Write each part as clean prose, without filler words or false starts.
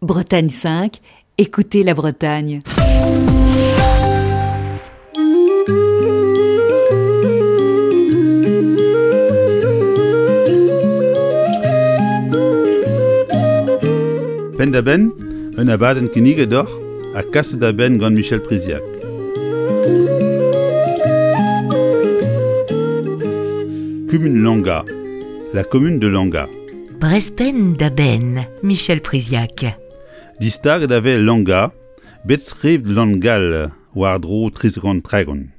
Bretagne 5, écoutez la Bretagne. Penn-da-benn, un abadenn kinniget deoc'h ha kaset da benn gant Michel Priziac. Kumun Langa, la commune de Langa. Brezpenn da benn, Michel Priziac. Distaget a vez Langa, bet skrivet Langall war-dro 330.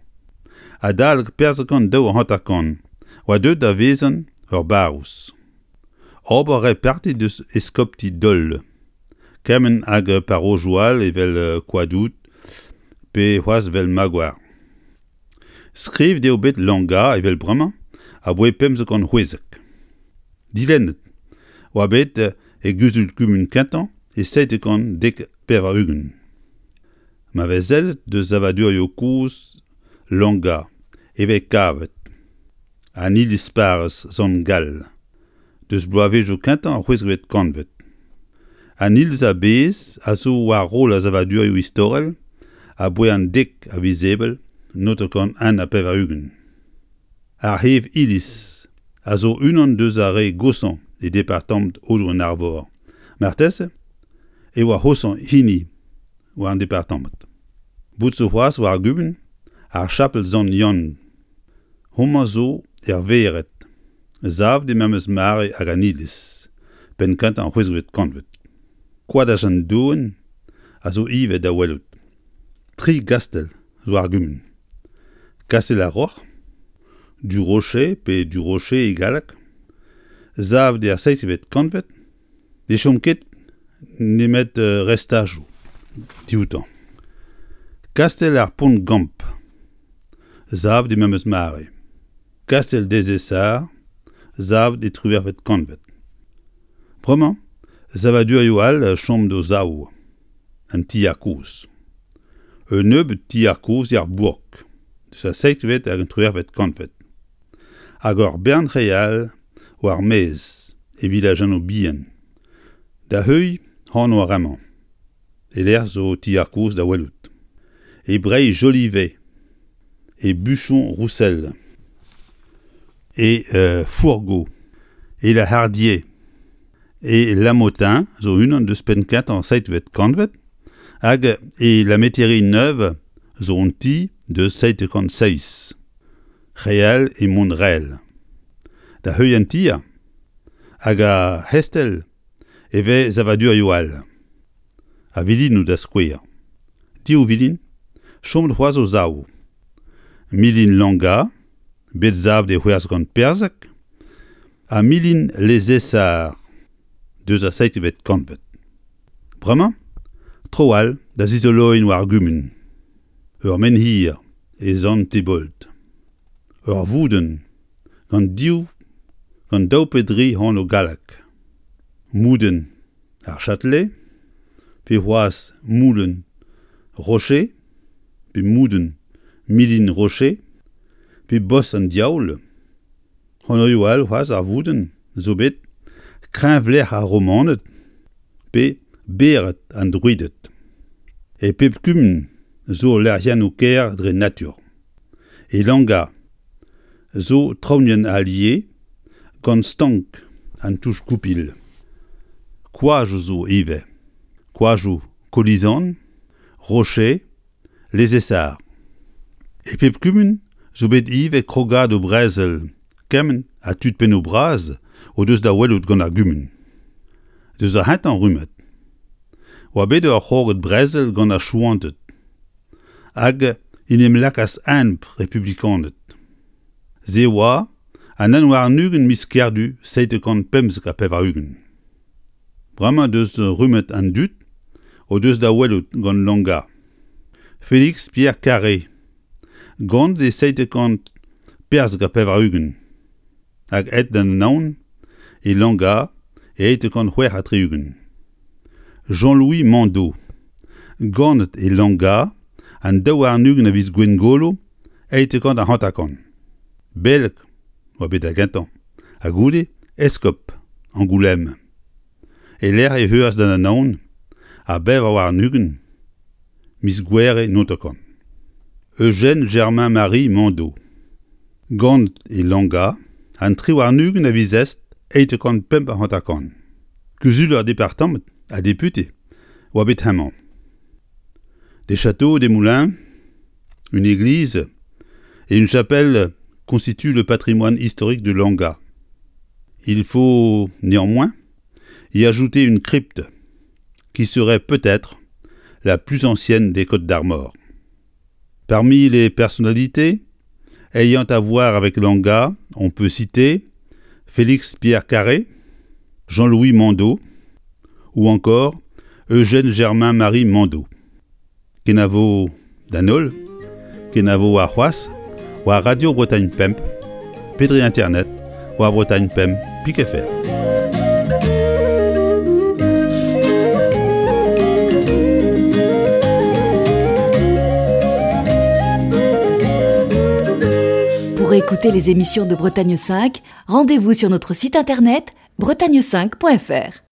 Adalek 452 oa deuet da vezañ ur barrouz. Ober a rae parti deus eskopti Dol, kement hag parrozioù all evel Koadoud pe c'hoazh 'vel Magoar. Skrivet eo bet Langa evel bremañ aboae 1516. Dilennet oa bet e guzul-kumun kentañ e 790. Ma vez sellet deus savadurioù kozh Langa e vez kavet an iliz-parrez Sant-Gall deus bloavezhioù kentañ ar c'hwezekvet kantved. An iliz a-bezh a zo war roll ar savadurioù istorel aboae an dek a viz Ebrel 1981. Ar c'hev-iliz a zo unan deus ar re goshañ e departamant Aodoù-an-Arvor. Marteze e oa c'hoshañ hini war an departamant. Bout zo c'hoazh war ar gumun ar chapel Sant-Yann. Homañ zo er vered, savet e memes mare hag an iliz, penn-kentañ ar c'hwezekvet kantved. Koadaj an Doenn a zo ivez da welout. Tri gastell zo ar gumun. Kastell ar Roc'h, du Rocher pe du Rocher e galleg, savet er seizhvet kantved, ne chom ket nemet restajoù dioutañ. Kastell ar Pont-Gamp, savet e memes mare. Kastell des Essarts, savet e triwec'hvet kantved. Bremañ, savadurioù all a chom d'o sav, an tier kozh. Un nebeud tier kozh er bourk, deus ar seizhvet hag an triwec'hvet kantved. Hag ur bern re all war maez e vilajennoù bihan. Da heuilh anv ar re-mañ, e-lec'h zo tier kozh da welout. E Breizh Jolivet, e Buchon-Roussel, e Fourgaux, e La Hardier, e Lamotin zo unan deus penn-kentañ seizhvet kantved hag e La Métairie-Neuve zo un ti deus 707. Re all e Montrel. Da heuilh an tier hag ar c'hestell e vez savadurioù all. A vilinoù da skouer. Div vilin, chomet c'hoazh o sav. Milin Langa, bet savet e c'hwezh gant Perzeg, ha milin Lezesar, deus ar seizhvet kantved. Bremañ, tro all da zizoloiñ war ar gumun. Ur menhir e Sant-Tebold. Ur voudenn gant div gant daou pe dri anv gallek. Moudenn ar Châtelet, pe c'hoazh Moulenn Rocher, pe Moudenn Milin Rocher, pe Bos an Diaoul. Anvioù all c'hoazh ar voudenn zo bet Kreñvlec'h ar Romaned pe Bered an Druided. E pep kumun zo lec'hiennoù kaer dre natur. E Langa zo traoñienn Allier gant stank an Touch-Goupil. Koajoù zo ivez, koajoù Kolizan, Rocher, Les Essarts. E pep kumun zo bet ivez krogadoù brezel kement ha tud pennoù bras o deus da welout gant ar gumun. Deus ar c'hentañ rummad oa bet ur c'hrogad brezel gant ar Chouanted hag en em lakaas enep republikaned. Se oa an 21 miz Kerdu 795. Bremañ deus rummet an dud o deus da welout gant Langa. Félix Pierre Carré, ganet e 794 hag aet d'an Anaon e Langa e 836. Jean-Louis Mandeau, ganet e Langa an 22 a viz Gwengolo 850. Beleg oa bet da gentañ ha goude eskob Angoulême. E-lec'h e heuas d'an Anaon 24 miz Gouhere 90. Eugène Germain Marie Mando, ganet e Langa an 23 a viz Est 855. Kuzuler departamant ha depute oa bet hemañ. Des châteaux, des moulins, une église et une chapelle constituent le patrimoine historique de Langa. Il faut néanmoins y ajouter une crypte qui serait peut-être la plus ancienne des Côtes d'Armor. Parmi les personnalités ayant à voir avec Langa, on peut citer Félix Pierre Carré, Jean-Louis Mando ou encore Eugène Germain Marie Mando. Kenavo d'an holl, kenavo warc'hoazh war Radio Bretagne Pemp pe dre internet war Bretagne Pemp pik fr. Pour écouter les émissions de Bretagne 5, rendez-vous sur notre site internet bretagne5.fr.